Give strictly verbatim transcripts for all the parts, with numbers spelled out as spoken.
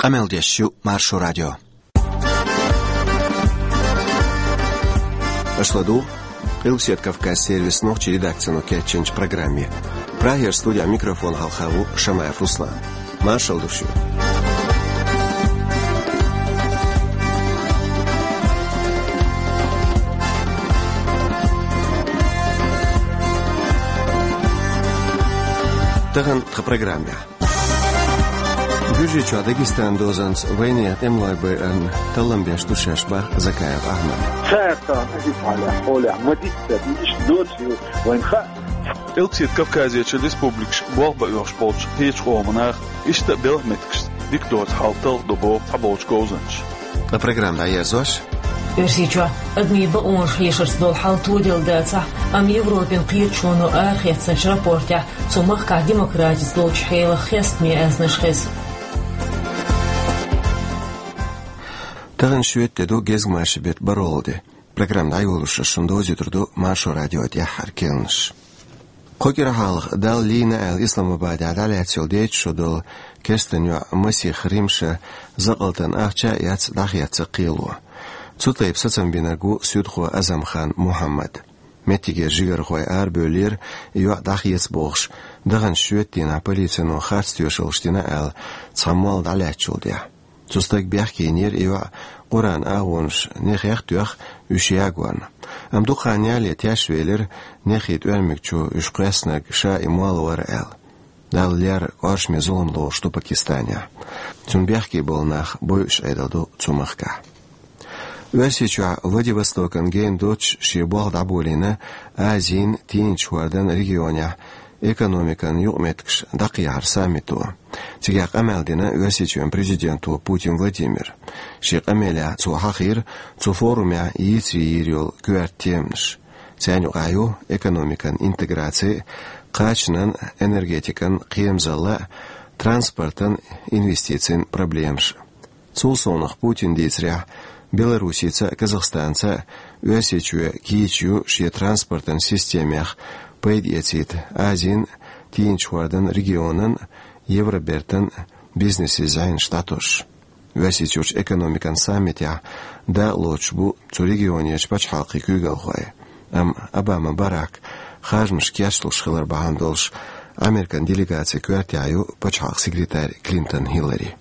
Къамел деш ю Маршо радио. Аша ладугӀу Къилбаседа Кавказ сервисан нохчийн редакцино кечйинчу программе. Прагера студехь микрофон хьалха ву Шамаев Руслан. Маршалла ду шуьга. Тахана тхан программехь. Гуьржийчохь Дагестанан дозанца вайнехан тӀемалой байарна таллам беш ду шаьш, боху Закаев Ахьмада. Цаьрца официалехь хьолехь ма-дитта, иштта доцийла вайна хаьа. Къилбаседа Кавказерчу республикашка болх бан оьхуш болчу кхечу къоман наха, иштта а белхан меттигашца дика доцу хьал талхадо боху цхьаболчу говзанчаша. Ткъа программа дӀаерзош. Оьрсийчохь адамийн бакъонаш хьешарца долу хьал тоделла дацахь, амма Европин кхеташоно арахецначу рапортехь цу махкахь демократица долчу хьелах хестаме аьзнаш хеза. Тахана шоьтан де ду, гезгмашин беттан бархӀалгӀа де. Программа дӀайолош шуна довзуьйтур ду Маршо радион тӀаьххьара керланаш. Кху кӀира хьалха Далла лийна аьлла Исламабадехь дӀалаьцна йолу дейтта шо долу керстан йоӀ масех Римма закъалтан ахча а эцна дӀахецна кхело. Цу тайпа сацам бинарг ву суьдхо Азамхан Мухьаммад. Меттигера жигархой арабевллера, и йоӀ дӀахеца бохуш, даханчу шоьтан дийнахь полицино харц тоьшаллаш дина аьлла, цхьа молла дӀалаьцначул тӀаьхьа. Цу стага бехке йинера и йоӀ Къуръан агӀонаш нехех а тоьхна, уьш ягорна. Амма дукха хан ялале тешвелира, нехий тӀоьрмиг чу уьш кхоьссинарг ша и молла вара аьлла. Далла лерра, кхоьруш ма-хиллара, зулам лоруш ду Пакистанехь. Цунна бехке болу нах бойуш Ӏедал ду цу махкахь. Оьрсийчохь Владивостокан гена доццуш шен болх дӀаболийна Азин, Тийначу хӀордан регионехь экономикан юкъаметтигаш дӀакхехьаран саммито. Цигахь къамел дина Оьрсийчоьнан президенто Путин Владимира. Шен къамелехь цо хьахийра цу форумехь йийцаре йийр йолу коьрта теманаш. Царна юкъахь ю экономикан интеграци, кхачанан, энергетикан кхерамзалла, транспортан, инвестицийн проблемаш. Цул совнаха Путина дийцарехь, Белоруссица а, Казахстанца а Оьрсийчоь кийча ю шен транспортан системех пайда эцийта Азин, Тийначу хӀордан регионан, Евробертан бизнесийн зӀенаш дӀатосуш. Оьрсийчуьрчу экономикан саммитехь дакъалоцуш бу цу регионерчу пачхьалкхийн куьйгалхой. Амма Обама Барак харжамаш кечлуш хилар бахьана долуш, Американ делегацин коьртехь ю пачхьалкхан секретарь Клинтон Хиллари.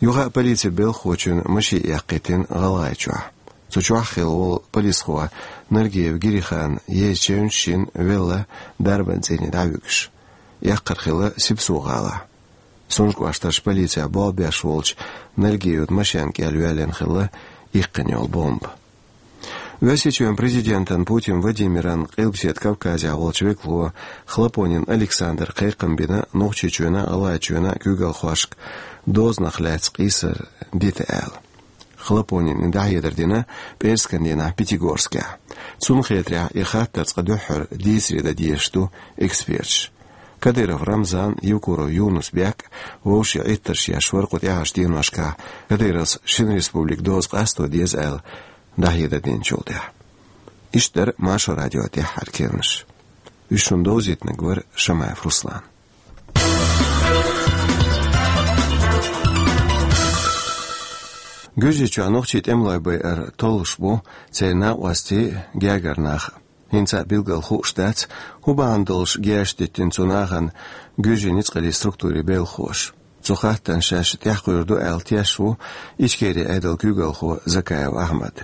Юха а полицин белхахочун машен эккхийтина ГӀалгӀайчохь. Цу чохь хилла волу полисхо Нургиев Гирихан езачевнаш шина велла дарбан цӀийне дӀавуьгуш. Эккхар хилла Сипсу-гӀалахь. Сунжа кӀоштарчу полицехь болх беш волчу Нургиевн машен кӀел йоьллина хилла иккхина йолу бомба. Оьрсийчоьнан президентан Путин Владимиран Къилбаседа Кавказехь волчу векало Хлопонин Александра кхайкхам бина Нохчийчоьнан а, ГӀалгӀайчоьнан а куьйгалхошка дозанах лаьцна къийсар дита аьлла. Хлопонина и дӀахьедар дина пӀераскан дийнахь Пятигорскехь. Цунна хетарехь, и хаттар цкъа дуьххьара дийцаре дан дезаш ду эксперташа. Кадыров Рамзан, Евкуров Юнус-Бек вовшийн Ӏиттарш еш вара кху тӀаьххьарчу деношкахь Кадыровс шина республикан доза къасто деза аьлла дӀахьедар динчул тӀаьхьа. Иштта дара Маршо радион тӀаьххьара керланаш. Уьш шуна довзийтинарг вара Шамаев Руслан. Гуьржийчохь нохчийн тӀемалой байар толлуш бу церан накъостий, гергара нах. ХӀинца а билггал хууш дац, хӀун бахьана долуш герзаш диттина цу нахана гуьржийн ницкъаллин структурийн белхахоша. Цу хаттарна шаьш тӀаьххуьур ду аьлла тешаш ву Ичкерин Ӏедалан куьйгалхо Закаев Ахьмад.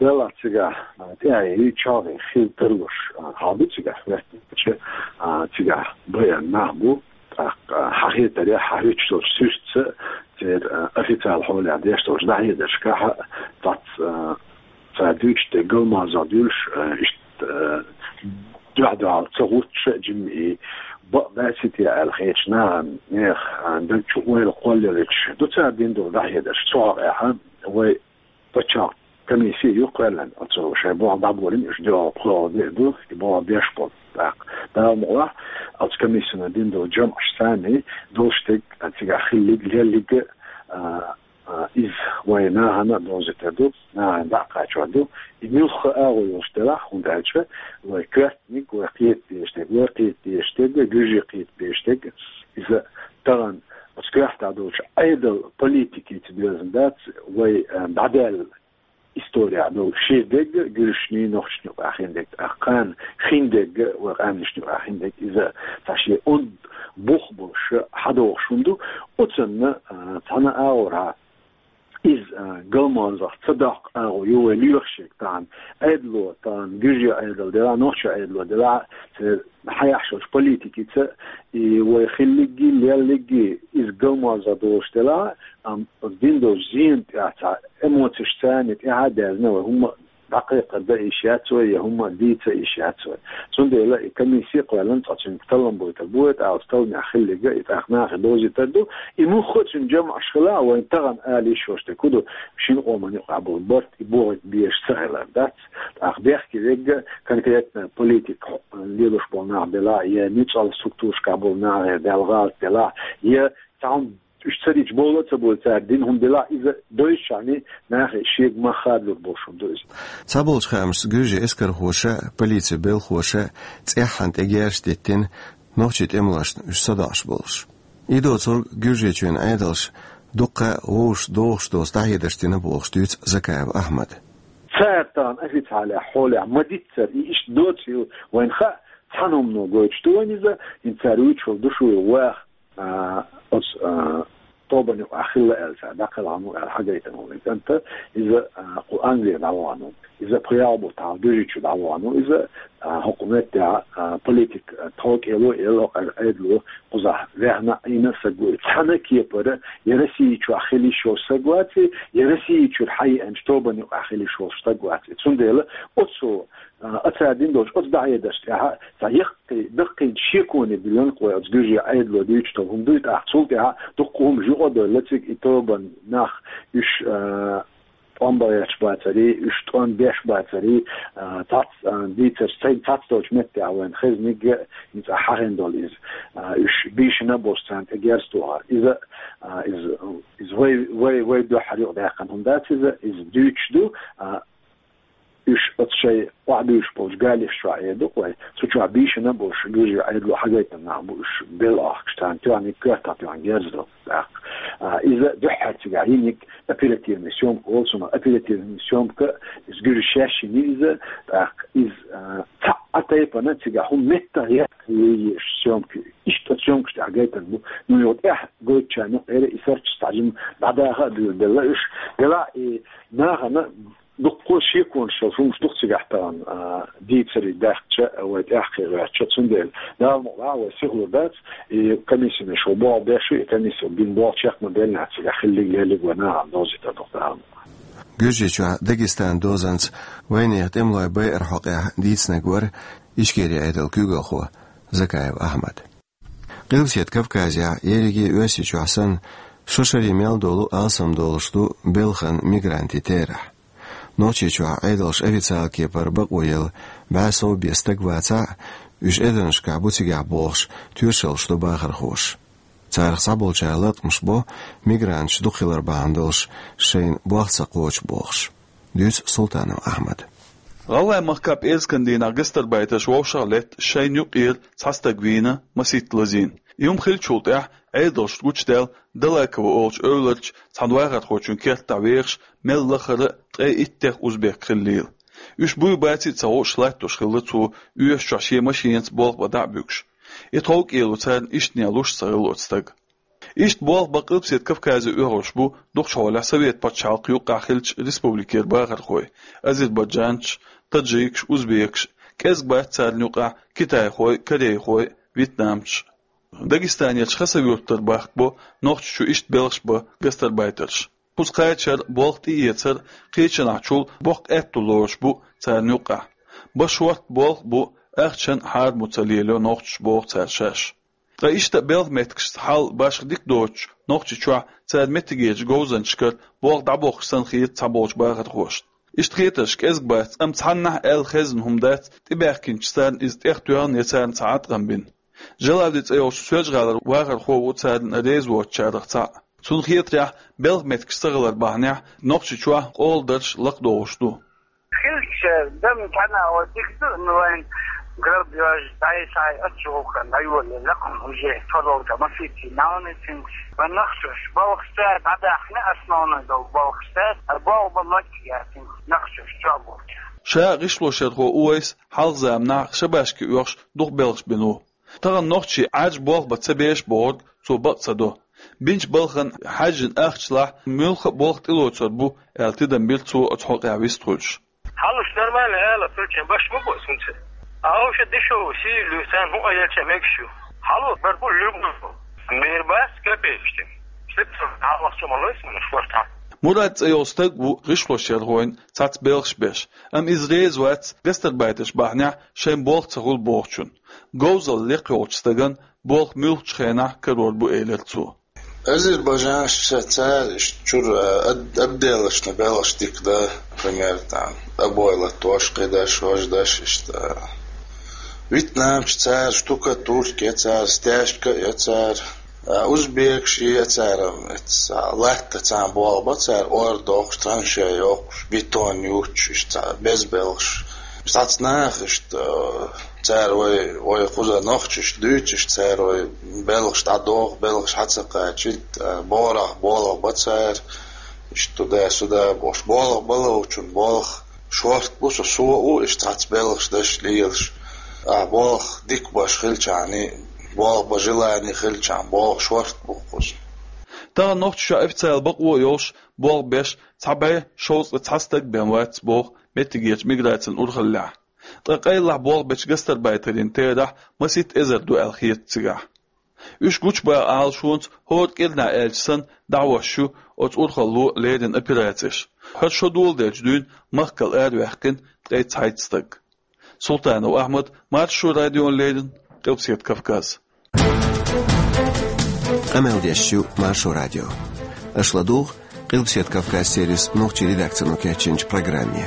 Делахь цигахь, а, тӀаьхье чагӀе хила тарлуш, а, хьал ду цигахь хӀоьттинчу, а, цигахь байар нах бу, тӀаккха, а, хьан хетарехь, хьан хӀуьттуш долчу суьртаца, церан, а, официал хьолехь деш долчу дӀахьедаршкахь а, цац, а, цара дуьйцуш дерг галмазох дуьллуш, а, иштта, а, дуьхь-дуьхьал ца гӀуттуш а, жимма и бакъ дац те аьлла хетачу нахана, нехан, а, даг чу ойла кхоллаелча ду цара дина долу дӀахьедарш. Цу хьокъехь вай пачхьалкхан комисси ю кхоьллина, оцу шайн болх дӀаболийна, уьш доьалгӀа-пхоьалгӀа де а ду, и болх беш болу. ТӀаккха, Дала мукъалахь, оцу комиссино дина долу жамӀаш санна долуш дерг, а, цигахь хилларг, лелларг, а, а, иза вайн нахана а довзуьйтур ду, нахана дӀа а кхачор ду. И муьлхха а агӀо йолуш делахь, хӀунда аьлча вай коьртаниг, вай кхета дезаш дерг, вай кхета дезаш дерг, вай гуьржий кхета безаш дерг, иза тахана оцу коьрта дӀадолчу Ӏедал политикица доьзна дац вай, а, дӀадаьлла история долу ши дерг а, гуьршний, нохчашний юкъахь хин дерг а, тӀаккха кхана хин дерг а, вай къаьмнашний юкъахь хин дерг а, иза цхьа шен онда бух болуш хьадогӀуш хӀума ду. Оцунна, а, цхьана агӀорхьа иза, а, галманзах ца доккху агӀо ю вай лоьхуш ерг тахана, Ӏедало тахана, гуьржийн Ӏедал делахь, нохчийн Ӏедало делахь, церан хьаяхьаш йолчу политикица, и вай хилларг а, лелларг а, иза галманзах долуш делахь, амма оцу дина долчу зенна тӀехь цхьа эмоцеш царна тӀехь а даьзна вай хӀумма дӀакхайкхар дан йиш яц вай, я хӀумма дийца йиш яц вай. Цундела и комисси кхоьллина, цкъа цуьнга таллам бойтур бу вай, тӀаккха оцу талламехь хилларг а, и тӀаккха нахе довзийтур ду. И муьлхха а цуьнан жамӀаш хилахь, вайн тахана ала йиш йолуш дерг хӀун ду, шина къоман юкъахь болу барт, и бохуьйту безаш ца хилар дац. ТӀаккха бехке верг а конкретно политика лелош болу нах белахь, я ницкъала структурашкахь болу нах, я Далла гӀалат делахь, я цхьа хӀума уьш ца дича бовла а ца бовла, цара дина хӀума делахь, иза доьзначарна нахе шега мах хадалур болуш хӀума ду иза. Цхьаболчу хаамашца, гуьржийн эскархоша, полицин белхоша цӀеххьана тӀегерзаш диттина нохчийн тӀемалошна уьш садоӀуш болуш. И доцург Гуьржийчоьнан Ӏедалша дуккха а вовшашна догӀуш доцу дӀахьедарш дина бохуш дуьйцу Закаев Ахьмада. Цара тахана официалехь хьолехь ма-дийццара, и иштта доцийла вайна хаьа, цхьана хӀумано гойтуш ду вайна иза, хӀинца цара вуьйцуш волу ду шу ваха, а, оцу, а, тобанна юкъахь хилла аьлла, цара дӀакхелхина ву аьлла хьагайтина волу и кӀант, иза, а, кху Англера дӀавахана ву. Иза пхи-ялх бутт хьалха Гуьржийчу дӀавахана ву иза, а, хӀокху меттехь, а, политик, а, тховкӀело а елла, хӀокху Ӏедало кхузахь ваьхна а, Ӏийна а стаг ву и. Цхьана а кепара я Россия чохь хила йиш йолуш стаг вац и, я Россия чуьра хьаеанчу тобанна юкъахь хила йиш йолуш стаг вац и. Цундела оцу, а, цара дина долчу оцу дӀахьедарш тӀехь цхьа яккхий, даккхийчу шеконе биллина кху вай оцу гуьржийн Ӏедало дуьйцуш долу хӀума дуй, тӀаккха цул тӀаьхьа дуккха хӀумаш юкъа а девлла цига, и тобанан нах, уьш, а, тӀом бан гӀерташ бацарий, уьш тӀом беш бацарий, а, цхьацца, а, дийцарш, сайн цхьацца долчу меттехь вайна хезниг а, хӀинца хьахийна долу иза, а, уьш бийшина а болуш царна тӀе герз тухар. Иза, а, иза, иза вай, вай, вай дуьххьара юкъадаьккхина хӀума дац иза, иза дуьйцуш ду, а, уьш оцу шайн охьадуьйшуш болчу галеш чохь эр ду-кх вай, цу чохь бийшина а болуш, гуьржийн Ӏедало хьагайтина нах бу уьш белла ахкаш, царна тоьхна коьртах тоьхна герз до. ТӀаккха, а, иза дуьххьара цигахь йиниг оперативная съёмка олу цунах. Оперативная съёмка, иза гуьржаша шаьш йина иза, тӀаккха иза, а, цхьа а тайпана цигахь хӀума меттах яккха езаш съёмка. Иштта съёмкаш тӀехь гайтина бу. Ну, юха тӀехь гойтучарна юкъара и сурташ цхьа жима дӀадаха а дуьйладелла уьш. Делахь и нахана дуккха шеконаш йолу хӀумаш ду-кх цигахь тахана, а, дийцаре даьккхича, вай тӀаьхьа кхин гӀертача, цундела Дала мукъалахь вай сихлур дац, и комиссина шу болх беш ю, и комиссино бина болх чекх ма-беллинехь, цигахь хиллиг-леллиг вай нахана довзийтур ду-кх Дала мукъалахь. Гуьржийчохь Дагестан дозанца вайнехан тӀемалой байаран хьокъехь дийцинарг вара Ичкерин Ӏедалан куьйгалхо Закаев Ахьмад. Къилбаседа Кавказехь, ерриге а Оьрсийчохь санна, шо шаре мел долу алсам долуш ду белхан мигрантийн терахь. Нохчийчохь Ӏедалша официалан кепара бакъо елла бӀе сов бен стаг вацахь а, уьш эзарнашкахь бу цигахь бохуш, тоьшаллаш до бахархоша. Царах цхьаболчара латкъамаш бо, мигранташ дукха хилар бахьана долуш шайна болх ца кхочу бохуш. Дуьйцу Султанов Ахьмада. ГӀалгӀай махкахь пӀераскан дийнахь гастарбайтерш вовшах а летта, шайна юкъера цхьа стаг вийна масийтта лазийна. И хӀума хиллачул тӀаьхьа Ӏедалшна гучудаьлла Далаково олучу эвларчу цхьана вахархочун кертахь вехаш мел лахара а ткъе иттех узбек хиллийла. Уьш буй-баций а ца хууш латтош хилла цо, оьшучохь шен машенаца болх бан дӀа а буьгуш. И тховкӀело царна иштанехь луш ца хилла оцу стага. Иштта болх бан Къилбаседа Кавказе оьхуш бу дукхачу хьолехь Совет пачхьалкхан юккъехь хиллачу республикера бахархой: азербайджанцаш, таджикаш, узбекаш, кӀезиг бац царна юкъахь китайхой, корейхой, вьетнамцаш. Дагестанерчу Хасавюртара бахка бо Нохчийчу иштта белхаш бан гастарбайтерш. Кхуза кхачар, болх тӀеэцар, кхечанхьчул боккха аьтто лоруш бу царна юккъехь. Бан шортта болх а бу, ахчанна хьарам ца лелайо нохчаша, боху цара шаьш. Ткъа иштта белхан меттигашца хьал башха дика доцучу Нохчийчохь цара меттигерчу говзанчашкара болх дӀабохкуш санна хета цхьаболчу бахархошна. Иштта хетарш кӀезиг бац, амма цхьаннахьа аьлла хезна хӀума дац, тӀебаьхкинчу царна иза тӀех тоьхна я царна цхьа Ӏаткъам бина. Жалавди цӀе йолчу Соьлжа-ГӀалара вахархо ву царна реза воцучарах цхьаъ. Цунна хетарехь, белхан меттигаш ца хилар бахьанехь, Нохчийчохь къола дарш лакхадогӀуш ду. Хилча, дам цхьана а дика ду, ну, вайн Гарб йоажа, дӀай-схьай ачча гӀулакхана дӀайолале лакхара хӀужа, тхо долча масийтта наьнацинца, вай нохчаша балхаш цаьрга дӀадахьна, основной долу балхаш цаьрга, а болх бан мегаш яцара нохчаша чохь болча. Ша гӀишлошъярхо Увайс хьалха заманахь шабашка оьхуш дукха белхаш бина ву. Тахана нохчий Ӏаьржа болх бан ца беш бохург цо бакъ ца до. Бинчу балхана хьаьжжина ахчалахь муьлхха а болх тӀелоцур бу аьлла, тидам бира цо оцу хьокъехь вистхуьлуш. Хьалуш нормально ала, причем баш ма бу цунца. А уша дешевый сий луьйцан хӀун а елча мегаш ю. Хьало бар бу луьгу. Мер бац капекаш тем. Слепцев хьалахчо ма лойс мана шортахь. Мурад цӀе йолу стаг ву гӀишлошъярхойн цхьацца белхаш беш, амма иза реза вац гастарбайтерш бахьанехь шайн болх ца хуьлу бохучун. Говзалла лекха йолчу стагана болх муьлххачу хенахь карор бу, элира цо. Азербайджанаш цара иштта чуьра ад-, отделочный белхаш дика дан, пример, там, обойлаттош, кхидаш, важдаш, иштта. Вьетнамча цара штукатурка я цара, стяжка я цара. А узбекаш я цара, эца латта царна болх бан цара, ор дохуш, траншея йохуш, бетон юттуш, иштта цара беза белхаш. Цхьацца наха иштта, цара вай, вай кхуза нохчашна дуьйцуш, цара вай белхаш дӀадоху, белхаш хьа ца кхачийта, борах болх бан цара, иштта туда-сюда бохуш, болх бан ловчун болх шорта бу, со, со а ву иштта цхьацца белхаш деш лелаш. А болх дика беш хилчахьана, болх бан желание хилчахьана, болх шорта бу кхуза. Тахана Нохчийчохь официалан бакъо а йолуш, болх беш цхьа бӀе шовзткъе цхьа стаг бен вац боху меттигерчу миграцин урхаллехь. Ткъа къайлахь болх бечу гастарбайтерийн терахь масийтта эзар ду аьлла хета цигахь. Уьш гучубаха Ӏалашонца хӀора кӀирнахь аьлча санна дӀахьош ю оцу урхалло леррина операцеш. ХӀара шо доладелча дуьйна махкал араваьккхина ткъе цхьайтта стаг. Султанов Ахьмад, Маршо радиона леррина, Къилбаседа Кавказ. Къамел деш ю Маршо радио. Аша ладугӀу Къилбаседа Кавказ сервисан нохчийн редакцино кечйинчу программе.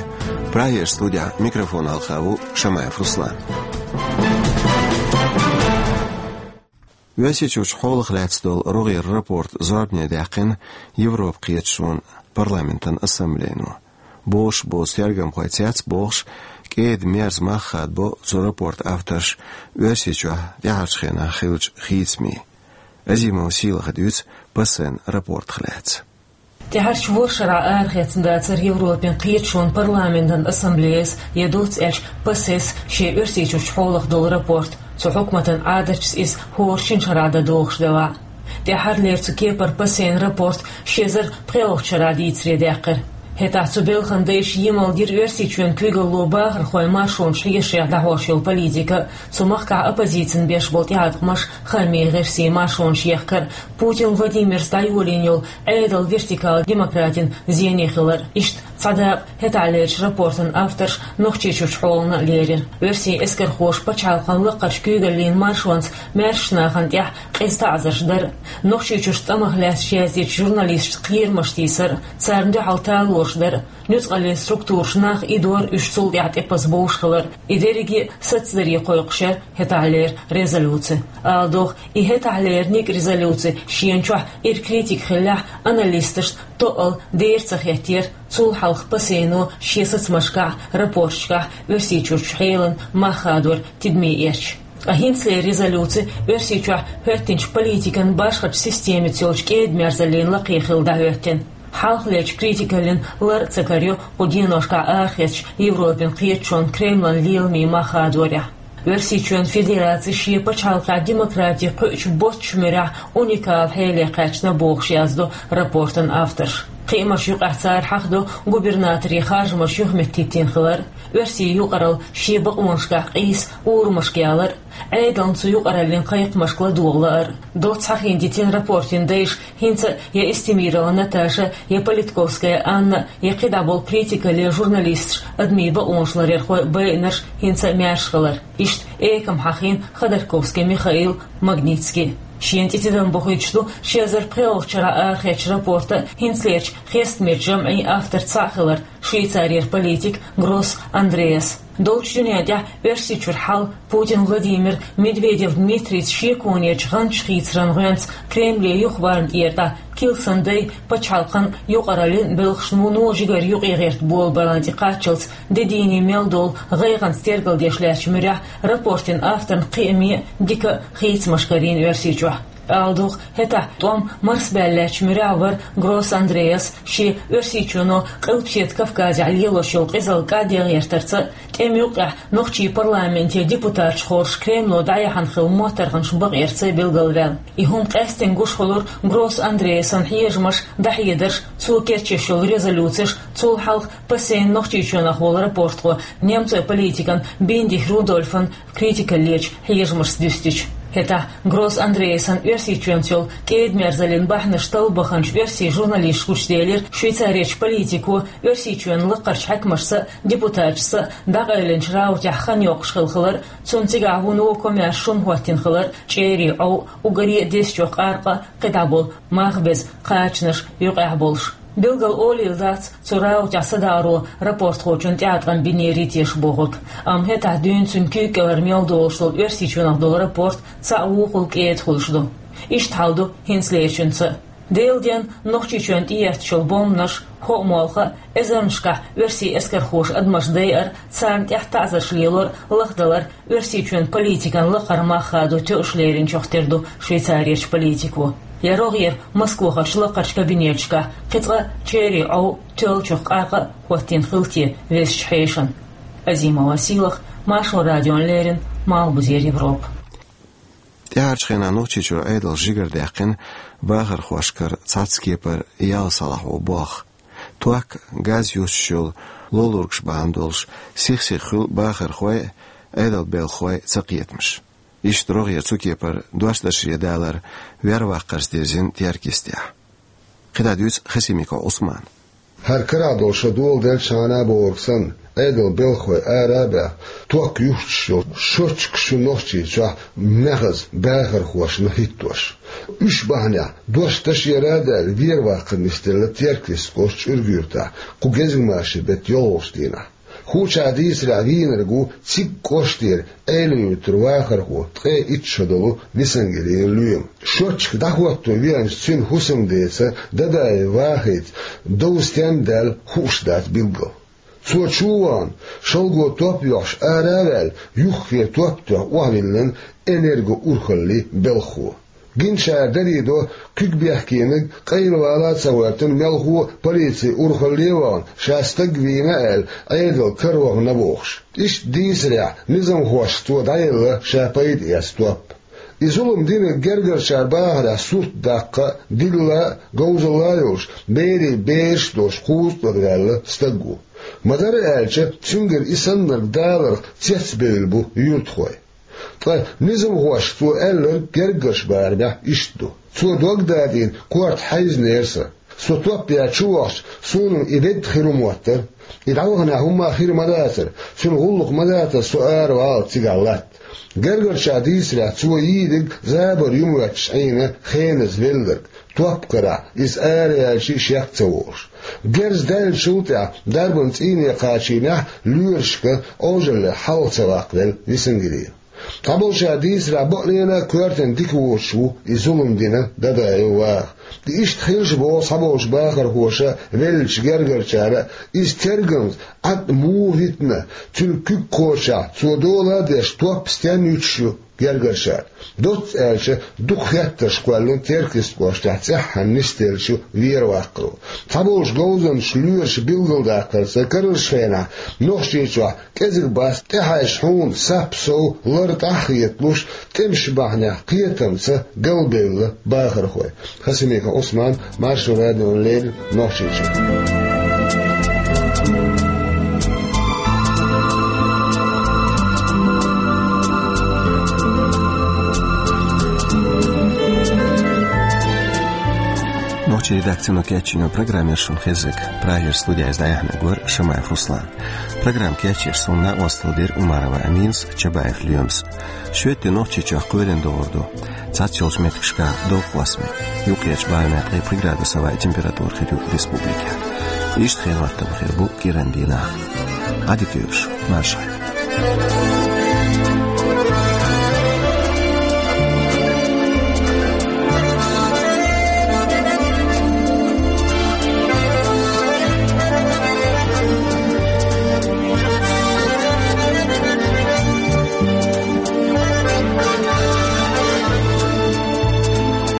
Прагерчу студехь микрофон хьалха ву Шамаев Руслан. Оьрсийчуьрчу хьолах лаьцна долу рогӀера рапорт зорбане даьккхина Европан кхеташонан парламентан ассамблейно. Бозуш боцу тергамхой цец бохуш, кӀеда-мерза мах хадабо цу рапортан авторш Оьрсийчохь тӀаьхьарчу хенахь хиллачу хийцамийн. Азимова Сийлахьа дуьйцу ПАСЕ-н рапортах лаьцна. ТӀаьхьарчу ворхӀ шарахь арахецна дацара Европан кхеташонан парламентан ассамблеяс, я доцца аьлча ПАСЕ-с, шен Оьрсийчуьрчу хьолах долу рапорт, цу хьукматан Ӏадаташца иза хӀора шина шарахь дан догӀуш делахь а. ТӀаьххьарлера цу кепара ПАСЕ-н рапорт ши эзар пхоьалгӀачу шарахь дийцаре даьккхира. ХӀетахь цу белхан дайша емал дира Оьрсийчоьнан куьйгалло бахархойн маршонаш хьешех дӀахьош йолу политика, цу махкахь оппозицина беш болу тӀеӀаткъамаш, хаамийн гӀирсийн маршонаш ехкар, Путин Владимирс дӀайолийна йолу Ӏедалан вертикал демократин зене хилар. Иштта цхьа дакъа хӀетахьлерчу рапортан авторш Нохчийчуьрчу хьолана а лерира. Оьрсийн эскархоша пачхьалкхан лакхарчу куьйгаллин маршонца маьршачу нахана тӀехь къиза таӀзарш дара. Нохчийчуьрчу тӀамах лаьцна яздечу журналисташца кхерамаш тийсар, царна дуьхьал талораш дар, нуьцкъаллин структураша нах идор, уьш цул тӀаьхьа тӀепаза бовш хилар, и дерриге а сацдаре кхойкхуш яра хӀетахьлера резолюци. Ала догӀу, и хӀетахьлера ницкъ резолюци шена чохь ира критика хиллехь а, аналисташна тоъал дера ца хеттера цул хьалха ПАСЕ-но шен сацамашкахь, рапорташкахь Оьрсийчуьрчу хьелан мах хадор тидаме эцча. Ткъа хӀинцалера резолюци Оьрсийчохь хӀоьттинчу политикан башхачу системица йолчу кӀеда-мерзаллин лакхе хилла дӀахӀоьттина. Хьалхалерчу критикаллин лар а ца карайо кху деношкахь арахецначу Европан кхеташонан, Кремлан леламийн мах хадорехь. Оьрсийчоьнан Федераци шен пачхьалкхехь демократи кхуьучу боцчу муьрехь уникалан хьеле кхаьчна бохуш яздо рапортан авторша. Кхиамаш юкъахь цара хьахадо губернаторийн харжамаш юхаметтийтина хилар, оьрсийн юкъаралла шен бакъонашкахь къийса урамашка ялар, Ӏедална цу юкъараллин кхайкхамашка ладогӀа лаар. Доцца хьахийна дитина рапортан дайша хӀинца а я Эстемирова Наташа, я Политковская Анна, я кхидӀа болу критикалле журналисташ, адамийн бакъонаш ларъярхой, байинарш хӀинца а маьрша хилар. Иштта экама хьахийна Ходорковский Михаил, Магнитский. Шена тӀе тидам бохуьйтуш ду ши эзар пхоьалгӀачу шарахь арахецначу рапортан хӀинцалерчу хестамечу жамӀийн авторш цхьаъ хилар, Швейцарера политик Гросс Андреас. Долчу дуьнен тӀехь Оьрсийчуьра хьал, Путин Владимир, Медведев Дмитрийца шеконечу гӀанташ хийцаран гӀоьнца Кремле юхаварна тӀера тӀе Килсан дай пачхьалкхан юкъараллин белхаш вуно жигара юкъе гӀерта болабалан тӀе кхаччалц де дийне мел долу гӀайгӀанца тергалдеш лаьттачу муьрехь рапортан авторна кхиаме а дика а хийцамаш карийна Оьрсийчохь. Ала догӀу, хӀетахь тӀом марсабаьлла лаьттачу муьрехь вара Гросс Андреас шен Оьрсийчоно Къилбаседа Кавказехь лелош йолу къизалла кӀадде гӀертарца а, тӀеман юккъехь нохчийн парламентан депутаташ хоржуш Кремло дӀаяхьна хилла моттаргӀанаш бакъъярца а билгалваьлла. И хӀума къаьсттина гуш хуьлура Гросс Андреасан хьежамаш, дӀахьедарш, цо кечъеш йолу резолюцеш, цул хьалха ПАСЕ-н Нохчийчоьнах волу рапортхо, немцойн политикан Биндих Рудольфан критикаллечу хьежамашца дуьстича. ХӀетахь Гросс Андреасан Оьрсийчоьнца йолу кӀеда-мерзаллин бахьанаш талла баханчу оьрсийн журналисташ гучуделира Швейцарерчу политико Оьрсийчоьнан лакхарчу хьаькамашца а, депутаташца а дӀакъайлинчу РаутӀехь хан йоккхуш хилла хилар а, цунна цигахь вуно комаьрша шун хӀоттийна хилар а, чӀерийн Ӏов, уггаре а дезачу къаркъа а, кхидӀа болу мах беза кхачанаш юкъехь болуш. Билггал олийла дац цу РаутӀехь садагӀаро рапортхочун тӀеӀаткъам бинерий теша бохург, амма хӀетахь дуьйна цуьнан куьйга кӀелара мел долуш долу Оьрсийчоьнах долу рапорт цхьаъ вукхул кӀеда хуьлуш ду. Иштта хьал ду хӀинцалерчуьнца а. Делан денна Нохчийчоьнна тӀеэцначу бомбанаш, хӀоъ-молха а, эзарнашкахь оьрсийн эскархоша адамаш дайар а, царна тӀехь таӀзарш лелор а лахдалар Оьрсийчоьнан политикан лакхара мах хадо тоьуш леринчух тера ду Швейцарерчу политико. Я рогӀера Москвахарчу лакхарчу кабинеташкахь кхин цкъа чӀерийн Ӏов, тоьллачух къаркъа а хӀоттийна хилла те везачу хьешана? Азимова Сийлаха, Маршо радиона леррина, Малхбузера Европа. ТӀаьхьарчу хенахь Нохчийчуьра Ӏедалша жигара даьккхина бахархошкара цхьацца кепара ял салахь ву болх. Ток, газ юстуш йолу лолургаш бахьана долуш, сих-сиха хуьлу бахархойн а, Ӏедалан белхахойн а цакхетамаш. Иштта рогӀера цу кепара дош дашаре далар вер-ваккхарца дирзина теркйистехь. КхидӀа дуьйцу Хасимиков Ӏусмана. ХӀара карахь долу шо доладелчхьана а бохург санна, Ӏедалан белхахой ара а баьхна, ток юстуш йолу счётчикаш ю Нохчийчохь маьхаза бахархошна хӀиттош. Уьш бахьанехь дош дашаре а даьлла, вер-ваккхар нисделла Теркйист кӀоштан ЧӀуьрга-Юьртахь кху гезгмашин беттан йолхалгӀачу дийнахь. Хьучахь дийцарехь, вийнарг ву цига кӀоштера Ӏелин-Юьртара вахархо, ткъе итт шо долу Висангелиев Лоьма. Счётчик дӀахӀотто веанчу цуьнан хӀусамдеца Дадаев Вахита дов стенна даьлла хууш дац билггал. Цо чу а вахана, шалго топ йохьуш ара а ваьлла, юххе топ тоьхна охьавиллина «Энерго-Урхаллин» белхахо. Гинчара дарийдо, куьг бехкениг къайлавала а ца гӀоьртина, мелхо а полицин урхалле а вахана, ша стаг вийна аьлла, Ӏедал каравахана бохуш. Иштта дийцарехь, низамхошца цо дӀаелла ша пайда эцна топ. И зулам динарг гергарчара бахарехь сурт даккха а, дилла а, говзалла а йолуш, берийн бераш а долуш кхузткъа тӀера ваьлла стаг ву. Ма-дарра аьлча, цуьнгара и саннарг даларх цецбевлла бу юьртахой. Ткъа низамхошка цо аьлларг гергарчу барамехь иштта ду. Цо дог дадийна корта хьаьвзинера сан. Со топ яьлла чу вахча, суна-м и ведда хир ву моттара. И дӀаваханехь хӀумма а хир ма дацара, цуьнан гӀуллакх ма дацара со ара валлалц цигахь латта. Гергарчара дийцарехь, цо йийдиг забар ю моьттуш Ӏийна хеназа велларг, топ карахь, иза ара яьлча а шек ца волуш. Герз даьллачул тӀаьхьа дарбан цӀийне кхачийнехь а лоьрашка Ӏожалле хьалха ца ваккхавелла Висангелиев. Цхьаболчара дийцарехь, бакъонца а коьртана дика воцуш ву и зулам дина Дадаев Ваха. И иштта хилча боху цхьаболчу бахархоша а, веллачу гергарчара а, иза тергамза Ӏад муха витина, цуьнан куьг кхочехь, цо дола а деш, топ стенна юьтуш ю гергарчара. Доцца аьлча, дукха хеттарш кхоьллина Теркйист кӀоштехь цӀеххьана нисделлачу вер-ваккхаро. Цхьаболчу говзанчаша лоьраша билгалдаккхарца, карарчу хенахь Нохчийчохь кӀезиг бац тӀехьаьжча хьуна сап сов лар тӀаьхьа хеталуш, тӀемаш бахьанехь кхетамца галбевлла бахархой. Хасимиков Ӏусман, Маршо радиона леррина, Нохчийчуьра. Нохчийн редакцино кечйина программа яра шуна хезнарг. Прагера студехь иза дӀаяьхьнарг вара Шамаев Руслан. Программа кечъеш суна накъосталла дира Умарова Аминас, Чабаев Лоьмас. Шоьтан де Нохчийчохь кхоьлина догӀур ду. Цхьацца йолчу меттигашкахь дов кхоссаме. Юккъерчу барамехь ткъе пхи градус авай температура хир ю республикехь. Иштта хенан хӀоттам хир бу кӀиран дийнахь. Ӏадика йойла шун, маршалла.